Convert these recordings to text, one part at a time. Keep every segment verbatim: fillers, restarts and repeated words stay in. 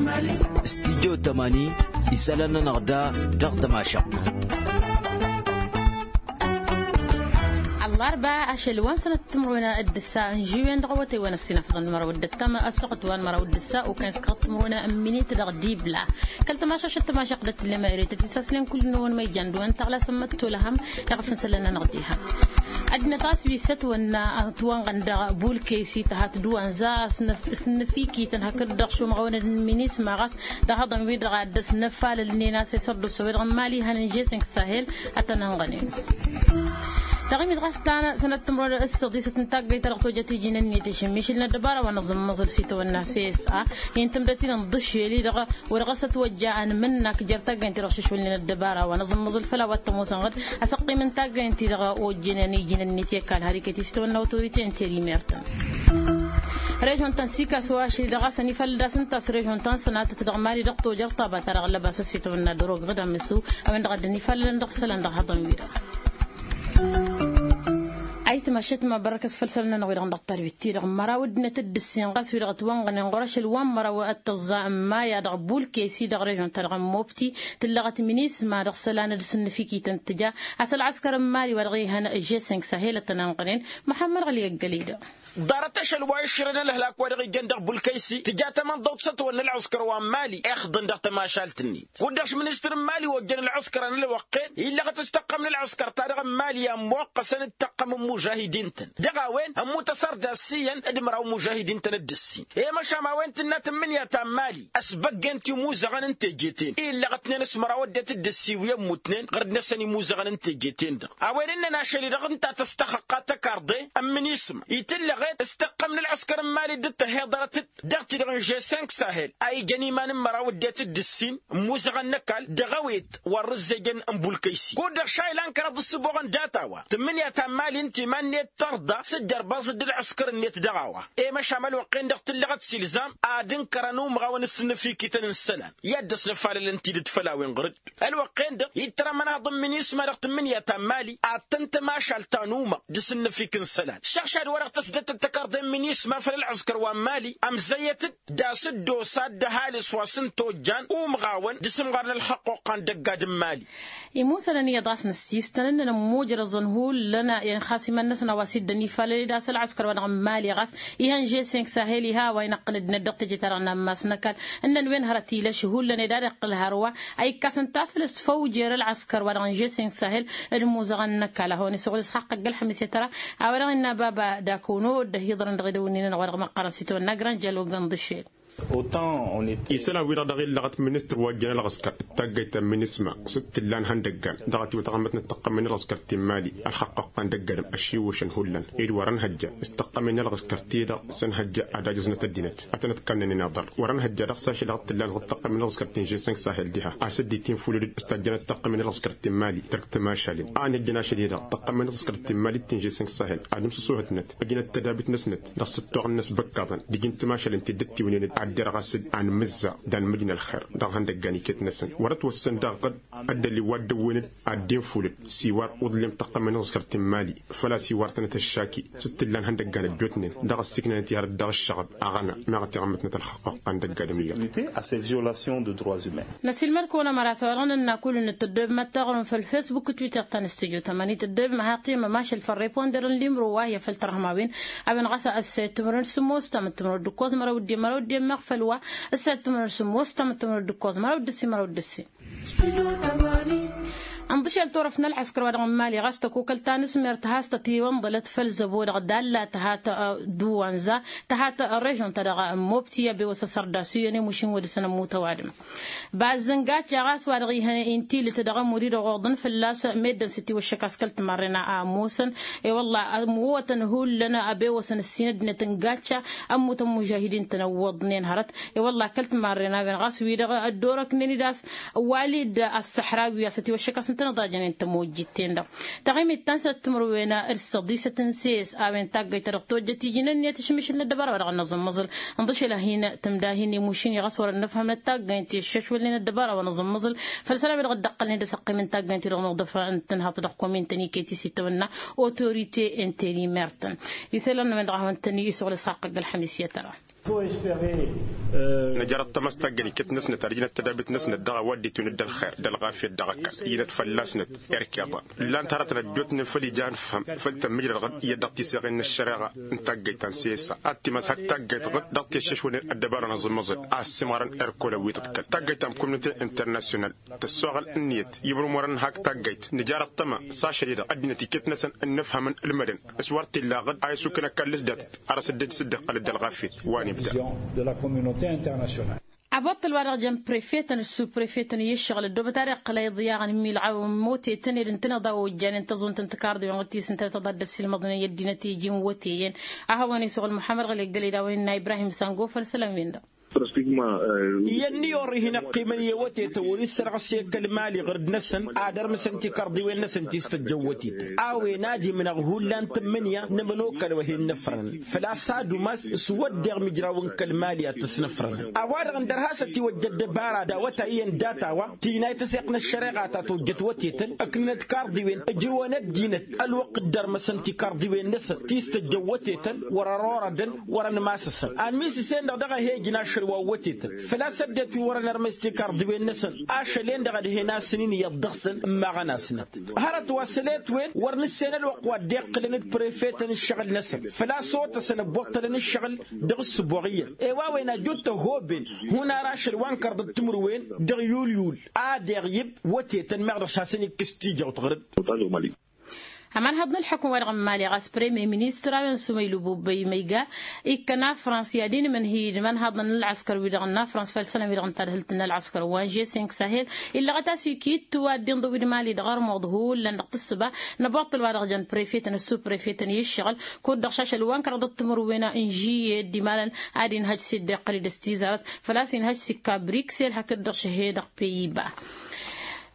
Studyo tămani isălan-nănăɣ da dăɣ-tămašăɣt. Ăllarba ašăl wa n-sănăt timruna d-ǝssa n-žiwen dăɣ-awătay wa n-ăssinafăḍăn n-măraw d-ăttam ăssuɣăt wa n-măraw d-ǝssa ukan s-kăɣăt timruna n-minit dăɣ-dibla. Kăl-tămašăšăt tămašăɣt d-tǝllem eret ătisaslen kull-năwăn ma ijan d-wa n-taɣla s-ămmăttolăhăm. Iɣăf n-isălan-nănăɣ diha ăddinăt ɣas wi s-ătwănna ătwănɣăn dăɣ-bulkeysi tăhat d-wa n-za s-năfikităn hakd-dăɣ šumɣăwăn d-minisma ɣas dăɣ-haḍăn-wi-dăɣ ad-dăr-s năfalălnen a-s isărdus a-wi-dăɣ n-imali ihăn n-žeseng sahel. Ad-tăn-ănɣănen taɣimit ɣas ta sănăt timrăwăn d-ǝssăḍisăt n-taggayt ta dăɣ-tojăt iji n-ǝnniyăt išǝmmišǝl n-ăddăbara wa n-aẓǝmmăẓǝl s-itawănna s-e s-a hin-tǝmdăt-in n-iḍǝššel-i-dăɣ. Wăr ɣas ătwăjja anmǝnnak jer-taggayt-i-dăɣ šǝšwălnen ăddăbara wa n-aẓǝmmăẓǝl făll-a-wa t-ămoosăn ɣǝd asăqqim n-taggayt-i-dăɣ ojjănen iji n-ǝnniyăt i-ăkall har iket-i s-itawănna otorite n-terimer-tăn. Režon-tăn s-ikas wa ašăl-i-dăɣ a-s ănifalăd a-s ǝnta a-s režon-ta n-sănatăt dăɣ-mali dăɣ-tojăr ṭaba-ta-dăɣ ăllăbasăt s-itawănna dăr-ogăɣ d-amǝsu a-wen-dăɣ a dd-ănifalălăn dăɣ-isălan dăɣ-haḍăn-wi-dăɣ. Ayǝtma ašăt ma bărăkăs făll-isălan-nănăɣ-wi-dăɣ n-dăɣ-talbit-ti-dăɣ n-măraw ăddinăt d-ǝssin ɣas wi-dăɣ ătwănɣănen ɣur-ašăl wa n-măraw d-tăẓẓa n-maya dăɣ-bulkesi dăɣ-režon-ta-dăɣ n-mobti tǝllăɣăt minisma dăɣ-isălan d-sǝnnǝfikităn tǝja a-s ălɣăskăr n-mali wa dăɣ-ihăn žeseng sahel ad-tăn-ănɣănen. Măḥămmăd ɣǝli ăggăley-dăɣ. Ḍarăt ašăl wa išrăn ălhălak wa dăɣ-ijăn dăɣ-bulkăysi tǝja tamănḍăwt s-ătwănna ălɣăskăr wa n-mali ixḍǝn dăɣ-tămašalt-net kud-dăɣ š-ministăr n-mali ojjăn ălɣăskăr a n-ălwăqqen illăɣăt s-tăqqăm n-ălɣăskăr-ta-dăɣ n-mali a ămmoqqăsăn d-tăqqăm n-imužahidin-tăn dăɣ-a-wen ămmut asărdas s-iyyăn d-măraw imužahidin-tăn d-ǝssin i-măšan a-wen tǝnna tǝmmǝnǝya ta n-mali ăsbăggen timuzăɣăn n-teje-ten illăɣătnen s-măraw ăddinăt d-ǝssin wi ămmutnen ɣărd-năsăn imuzăɣăn n-teje-ten-dăɣ a-wen ǝnnăn ašăl-i-dăɣ ǝnta tăstăxăqqa tăkarḍe n-minisma itǝllăɣet s-tăqqăm n-ălɣăskăr n-mali dd-tăhhiḍărăt-dd dăɣ-ti-dăɣ n-žeseng sahel a ijăn iman n-măraw ăddinăt d-ǝssin n-imuzăɣăn n-ăkall dăɣ-ewet wa n-rǝzzejăn n-bulkăysi kud-dăɣ šaylan kăraḍ d-ǝssǝboɣăn data-wa tǝmmǝnǝya ta n-mali ǝnta iman-net tărḍa s-dd-ărbaẓ-dd ălɣăskăr-net dăɣ-a-wa i-măšan ălwăqq-en-dăɣ tǝllăɣăt s-ilzam ad-ǝnkărăn umɣawăn s-sǝnnǝfikităn n-isălan i-ad-dăr-s nǝfalălăn tidǝt făll-a-wen ɣur-dd ălwăqq-en-dăɣ ittăr ămănaḍ n-minisma dăɣ-tǝmmǝnǝya ta n-mali ad-tăn-tămašal ta n-umăɣ d-asǝnnǝfik n-isălan šăɣšad wa dăɣ-tăsdăttăt tăkarḍe n-minisma făll-ălɣăskăr wa n-mali ămzăyyăt-dd d-asǝddos ad-dd-ăhalǝs wa s-ǝnta ojjan umɣawăn d-asǝmɣar n-ălxăqquqqa n-dăgg-ad n-mali. Imusălăn iyyăḍ a-s năssiistăn ǝnnăn ămmujrăẓăn hullan i-ănxas iman-năsăn a-wa s-dd-ănifalăl-dd a-s ălɣăskăr wa dăɣ-n mali ɣas ihăn žeseng sahel iha a-wa inăqqǝl ăddinăt dăɣ-teje-ta-dăɣ n-ammas n-ăkall ǝnnăn wen hărăt ilăš hullan ed ad-iqqǝl hărwa a ikkasăn taflǝst făw jer-ălɣăskăr wa dăɣ-n žeseng sahel d-imuzăɣăn n-ăkall a hawăn-isuɣǝl s-haqqăgg ălxămis i-tăra a-wa dăɣ-innă baba d-akăwăn-odd ăhiḍărăn dăɣ-edăwǝnnin-nănăɣ wa dăɣ-măqqărăn s-itwănna granja logan d-išel. Isălan-wi-dăɣ dăɣ-illăɣăt ministăr wa ăjjăn ălɣăskăr d-taggayt ta n-minisma s-t-ǝllan ihăndăggan dăɣ-ătiwătăɣ ămmătnăt tăqqămmen ălɣăskăr ti n-mali ălxăqqăɣ ta n-dăgg-adǝm ăšiwwăšăn hullan ed wărăn hăjja s-tăqqămen ălɣăskăr-ti-dăɣ s-ănhăjja ad-ajǝẓnăt ăddinăt ad-tăn-ătkănnănen aḍăr wărăn hăjja dăɣ-s ašăl dăɣ-t-ǝllan ɣur-tăqqămen ălɣăskăr ti n-žeseng sahel diha a-s dd-itinfulǝd s-tajjănăt tăqqămen ălɣăskăr ti n-mali tărk timašalen a ănhăjjăn ašăl-i-dăɣ tăqqămen ălɣăskăr ti n-mali ti n-žeseng sahel ad-imsǝsuhǝtnăt ăjnăt tădabit-năsnăt dăɣ-s ǝttoɣăn-năs băkkaḍăn d-iji n-timašalen ti dd-ăttiwǝnenăd ad-derɣ a-s d-anmǝzza d-anmǝj n-ălxer dăɣ-ihăndăggan iket-năsăn wăr-ătwăssan daɣ ɣǝd ăddălil wa dd-ăwwǝnăd ad-dd-infulǝd s-iwar uḍlem tăqqămen ălɣăskăr ti n-mali făl-a-s iwar-tănăt ăššaki s-t-ǝllan ihăndăggan ăjjootnen dăɣ-ăssiiknănăt i-hărăt dăɣ-ǝššăɣăb aɣăna meɣ ătiɣămmătnăt ălxăqqăɣ ta n-dăgg-adǝm iyyăḍ. Năsilmăd-kăwăn ămăra s-a-wa-dăɣ nǝnna kull-năt tăddoobem ad-taɣrǝm făll-fesbuk d-twitter ta n-studyo tămani tăddoobem ad-haɣ-tihămmăm ašăl făll-reponder n-limro wa hi-afăl tărhăm a-wen a-wen ɣas ăssayăt timǝrwen s-ǝmmos tamǝttǝmrăw d-ǝkkoẓ măraw d-emmărăw d-emmăɣ făll-wa ăssayăt timǝrwen s-ǝmmos tamǝttǝmrăw d-ǝkkoẓ măraw d-ǝssin măraw d-ǝssin. Ănḍǝšel turăft n-ălɣăskăr wa dăɣ-n mali ɣas tăkokălt ta n-asmert has-tătiwănḍălăt făll-zăbo-dăɣ dalla tăhat d-uwanza tăhat režon-ta-dăɣ n-mobti i-abewăs asărdas iyyăn i-mušin wăr dăr-săn ămmut ăwadǝm. Bazz n-gacca ɣas wa dăɣ-ihăn intilǝt dăɣ-amud-i-dăɣ oḍăn fălla-s meddǝn s-ătiwăššăk a-s kăl-timarren a ămoosăn. I-wălla ămwăwătăn hullan abewăsăn ǝssin ăddinăt n-gacca ămmutăn mužahidin-tăn ăwwăḍnen hărăt. I-wălla kăl-timarren a-wen ɣas wi-dăɣ ăddorăknen-dd a-s wali-dd ăssăḥrawi a-s ătiwăššăk a-s ǝntăneḍ a jănen tămojjit-ten-dăɣ taɣimit ta n-săr timǝrwen d-săḍisăt n-ses a-wen taggăyt ta dăɣ-tojjăt iji n-ǝnniyăt išmišǝl n-ăddăbara wa dăɣ-năẓǝmmăẓǝl. Ǝnḍǝšăl ad-hin-tǝmda hin-imušin i-ɣas wăr-ănnăfhăm n-taggăyt ti ăššăšwălnen ăddăbara wa năẓǝmmăẓǝl făll-isălan wi-dăɣ dd-ăqqălnen d-asăqqim n-taggăyt-i-dăɣ nuḍăf n-tǝnhăḍt dăɣ-komin-tăn iket-i s-itawănna otorite interimer-tăn. Isălan n-a-wen-dăɣ a hawăn-tăn-isuɣǝl s-haqqăgg ălxămis i-tăra. Nǝjăr ăṭṭăma s-taggăyt iket-năsnăt ad-ǝjnăt tădabit-năsnăt dăɣ-a-wa dd-itwǝnǝd d-ălxer d-ălɣafyăt dăɣ-ăkall. Ijnăt fălla-snăt erk iḍan ǝllan-t hărătăn ăjjootnen făll-ija a nǝfhăm făll-tămmǝjrăd ɣǝd iyyăt dăɣ-tisăɣen n-ăššăreɣa n-taggăyt ta n-sesa ad-t-imas hak taggăyt ɣǝd dăɣ-teššăšwănen ăddăbara n-aẓǝmmăẓăl a ăssiimărăn erk olăwwităt kăl-taggăyt ta n-kumnǝte internasyonal tăssoɣăl ǝnniyăt i-imrǝmurăn n-hak taggăyt. Nǝjar ăṭṭăma s-ašăl-i-dăɣ ăddinăt iket-năsăn ǝnnǝfhămăn ǝlmădăn s-wăr t-illa ɣǝd a isukǝn ăkall s-datăt arăs dd-sǝddeɣ ăqqălăt d-ălɣafyăt wa n-ibda. Aboṭṭăl wa dăɣ-jăn prefetăn d-suprefetăn i-ǝššăɣǝl ăddoobăt ad-iqqăl a iḍyaɣăn imilɣawen n-motetăn ed ǝntăneḍ a ojjanen tăẓunt n-tikarḍiwen ɣǝd ti s-ǝntănăt ad-dd-ăssiilmăḍnen i-ăddinăt iji n-woteyen. A hawăn-isuɣǝl muḥămmăd ɣălegg ălidawăn innă ibrahim sango făll-isălan-wen-dăɣ. Iyyăn n-iyyăn orr-ihin ăqqiimăn i-ewătetăn wăr issărɣǝs i-kăl-mali ɣǝrǝd-năsăn ad-ărmǝsăn tikarḍiwen-năsăn ti s-tăjjăn wătetăn. A-wen ad-imnăɣ hullan tǝmmǝnǝya n-ămănokal wa hin-nǝfrănăn făl-a-s ad-umas s-wădden imǝjrawăn kăl-mali ad-t-ăsnăfrănăn. A-wa-dăɣ ǝndăr has-ătiwăjja ăddăbara d-awătay iyyăn data-wa tinayt ăseɣt n-ăššăreɣa ta tojjăt wătetăn ǝknǝnăt karḍiwen ǝjrǝwăn ăddinăt ălwăqq dd-ărmăsăn tikarḍiwen-năsăn ti s-tăjjăn wătetăn wăr-ărorădăn wăr-ănmasăsăn. Anmis-s-en-dăɣ daɣ a he-ǝjǝn ašăl wa n-wătetăn făl-a-s ăddinăt wi wărăn ărmăs tikarḍiwen-năsăn ašăl-en-dăɣ ad-hen-asăn-in iyyăḍ dăɣ-săn ǝmmaɣăn-asnăt. Hărăt wa s-ălwăqq wa dd-iqqǝlăn d-prefetăn ǝššăɣǝl-năsăn făl-a-s otăsăn ăbbuṭṭălăn ǝššăɣǝl dăɣ-ǝssǝboɣ iyyăn. I-wa-wen ajut tăhoben hun ar ašăl wa n-kărḍăt timǝrwen dăɣ-yulyul ad-iɣyǝb wătetăn meɣ dăɣ-s hasăn-ikkǝs tijawt ɣăr-dd. Ămanhăḍ n-ǝlḥukǝm-wa-dăɣ n-imali ɣas premier ministăr a-wen sumăylu bubăy măyga ikkăn afrans i-ad-inmǝnhǝy d-imanhaḍăn n-ălɣăskăr-wi-dăɣ n-afrans făll-isălan-wi-dăɣ n-tadhǝlt n-ălɣăskăr wa n-žesink sahel. Illăɣăt a-s ikittu ad-dd-inḍǝw d-imali dăɣ-ărmuḍ hullan dăɣ-tǝssǝba n-abuṭṭăl wa dăɣ-jăn prefetăn ăssuprefetăn i-ǝššăɣǝl kud-dăɣ šašăl wa n-kăraḍăt timǝrwen n-žiyed d-imalăn ad-inhăj s-dd-iqqăl-dd s-tizarăt făl-a-s inhăj s-ikka briksel hakd-dăɣ šăhe-dăɣ peyiba.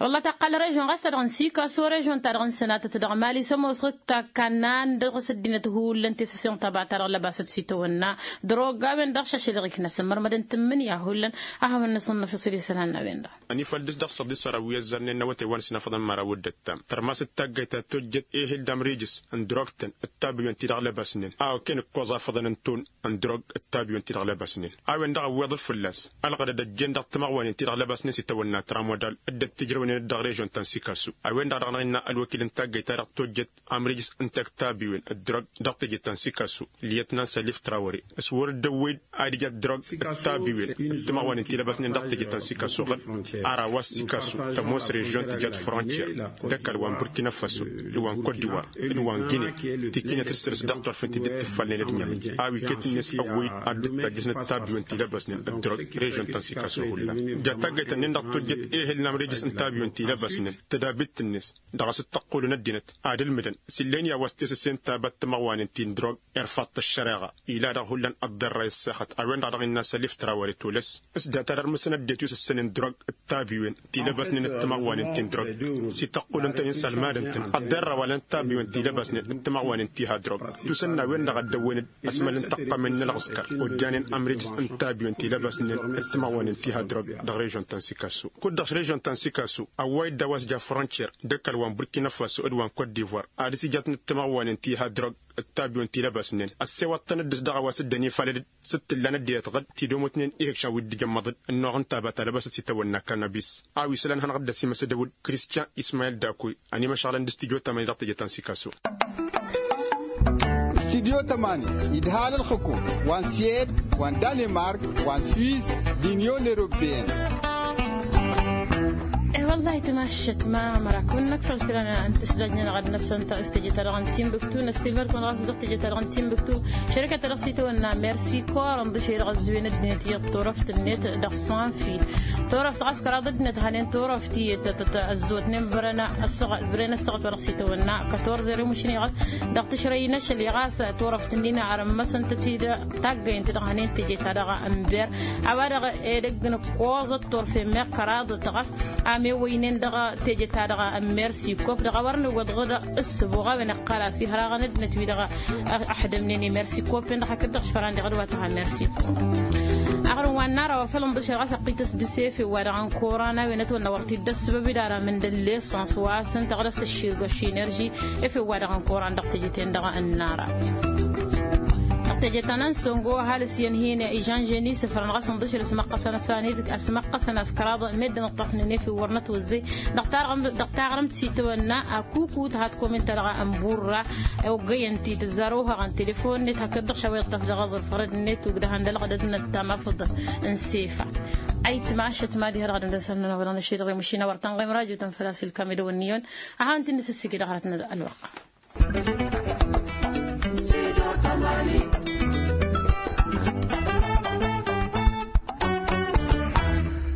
Wălla taqqal režion ɣas ta dăɣ-n sikaso režion ta dăɣ-n sănatăt dăɣ-mali s-ămoos ɣǝkk ta kannan dăɣ-s ăddinăt hullan tesăsen taba ta dăɣ-lăbasăt s-itawănna drog a-wen-dăɣ šašăl ɣiknăsăn mărmădăn tǝmmǝnǝya hullan. A hawăn-nǝsǝnnăf isăl isălan n-a-wen-dăɣ. Ănifăl dăɣ-s dăɣ-săr-a wi ăzzărnen n-awătay wa n-sǝnafăḍăn măraw d-ăttam tărmasăt taggayt ta tojjăt ehel d-amrijǝs n-drogtăn d-tabiwen-ti-dăɣ lăbasnen a okăyăn ǝkkoẓ afăḍăn n-ton n-drog d-tabiwen-ti-dăɣ lăbasnen. A-wen-dăɣ ăwweḍăl fălla-s ălɣădăd ăjjeen dăɣ-timăɣwanen-ti-dăɣ lăbasnen s-itawănna tramodal dd-ăttijrăwnen d-dăɣ-režion ta n-sikasu. A-wen-dăɣ daɣ-năɣ innă ălwăkil n-taggayt-ta-dăɣ tojjăt amrijǝs n-tăkk tabiwen d-drog dăɣ-teje ta n-sikasu liyătnan sălif trawăre s-wăr dd-ăwwăy-dd ad-ija d-drog d-tabiwen d-timăɣwanen ti lăbasnen dăɣ-teje ta n-sikasu ɣǝd. Ar a-wa s-sikasu tămoos režion tǝja d-frontier d-ăkall wa n-burkina faso d-wa n-kot divoire d-wa n-gine. Tikinăt d-săr-s dăɣ-turfen ti dd-tǝffalnen d-ǝnyan a-wa iket-net ăwwăy-dd ad-dd-tajjăsnăt tabiwen ti lăbăsnen d-drog režion ta n-sikaso hullan. Ja taggayt-ǝnnin-dăɣ tojjăt ehel n-amrijǝs n-tabiwen ti lăbăsnen tădabit-net dăɣ-s dd-tăqqulăn ăddinăt ad-ǝlmǝdăn s-illa-en i-a-wa s-tesăsen taba d-timăɣwanen ti n-drog. Irfaḍ-t ăššăreɣa ila dăɣ-hullan ăḍḍărray ăssexăt a-wen-dăɣ dăɣ-innă sălif trawăre tolăs s-data d-ărmǝsăn ăddinăt wi s-ǝssănen drog d-tabiwen ti lăbăsnen d-timăɣwanen ti n-drog. S-ităqqulăn-tăn-in sălmadăn-tăn ăḍḍărra wa lăn tabiwen ti lăbăsnen d-timăɣwanen ti ha-drog. Tusǝnna a-wen-dăɣ a dd-ăwwen-dd ăsmăl n-tăqqămen n-ălɣǝskăr ojjanen ămrijǝs n-tabiwen ti lăbăsnen d-timăɣwanen ti ha-drog. Dăɣ-režion ta n-sikasu kud-dăɣ režion ta n-sikasu ăwway-dd a-wa s-ja frontier d-ăkall wa n-burkina faso d-wa n-kot divoire ad-s-ijatnăt timăɣwanen ti ha-drog d-tabiwen ti lăbăsnen ăssewăḍ-tăn dd-s dăɣ-a-wa s-dd-ănifalăd. S-t-tǝllan ăddinăt ɣǝd tidǝmutnen ihǝkšan wi dd-ijămmăḍ-dd ănnuɣ n-taba ta lăbăsăt s-itawănna kanabis. A-wa isălan hanăɣ-dd-ăsimăs d-ăwǝd kristian ismayil dakoy ănimăšɣălăn d-studyo tămani dăɣ-teje ta n-sikaso. Studyo tămani idhal ălxǝkum wa n-suwed wa n-danimark wa n-suwis d-inyon eropeyăn. E-wăllahi tamaššăt ma mărakbăn-năk făll-sălan n-tǝsdăj-nănăɣ ad-năsăn ta s-teje-ta-dăɣ n-timbuktu năssiilmăd-kăwăn ɣas dăɣ-teje-ta-dăɣ n-timbuktu. Šărikăt-ta-dăɣ s-itawănna mersi kor ănḍǝšăy dăɣ-ăzzuyăn ăddinăt iyyăḍ turăft-net dăɣ-sanfil. Turăft ɣas kăraḍ ăddinăt hănen turăft iyyăt ăzzotnen bărăn ăssaɣăt wa dăɣ-s itawănna kătorzăr i-mušni ɣas dăɣ-tǝšrăy n-ašăl i-ɣas turăft-nin arǝmmăsăn-tăt-dd. Taggăyăn-t dăɣ-hănen teje-ta-dăɣ n-ber a-wa-dăɣ edăgg n-ǝkkoẓăt turfen meɣ kăraḍăt ɣas a-mewăynen dăɣ-teje-ta-dăɣ n-mersi kop dăɣ-a wăr nǝwwăḍ ɣǝd ǝssǝbuɣ a-wen ăqqal a-s ihăraɣăn ăddinăt-wi-dăɣ. Ăḥdămnen i-mersi kopen-dăɣ hakd-dăɣ s-făran deɣ d-wa tăɣa mersi. Aɣrǝm wa n-nara wa făl ǝnḍǝšăl ɣas ăqqităs dăɣ-s efew-wa-dăɣ n-koran a-wen ătwănna wăr t-dd-ăssǝbăb-dd ara mǝndăl lesăns wa s-ǝnta ɣǝd a-s tăšširgăš enerži. Efew-wa-dăɣ n-koran dăɣ-teje-ten-dăɣ n-nara. Tăjăt anăn songo ăhalǝs i-ănhǝyăn ižănžen isǝfrăn ɣas ǝnḍǝšǝl s-măqqăsăn ăsanid s-măqqăsăn a-s kăraḍ meddǝn ǝṭṭăfnen efew wăr nătwăzzey. Dăɣ-taɣrǝmt s-itwănna akukut hat-komin-ta-dăɣ ănburra. Oggăyăn-ti tǝzzar ohăɣăn telefon-net hakd-dăɣ šaw iṭṭăf dăɣ-aẓrǝf ɣărăd-net ugdăhăn d-ălɣădăd n-ăttam afǝḍ n-sefa. Ayǝtmašăt mad-iha dăɣ-ad-ǝndăsălnăn a-wa dăɣ-năššedăɣ i-mašina wăr tănɣem rajutăn făl-a-s ilkam edăwănniyăn. Ad-hawăn-t-in-nǝsǝssǝgi dăɣ-hărăt n-ălwăqq.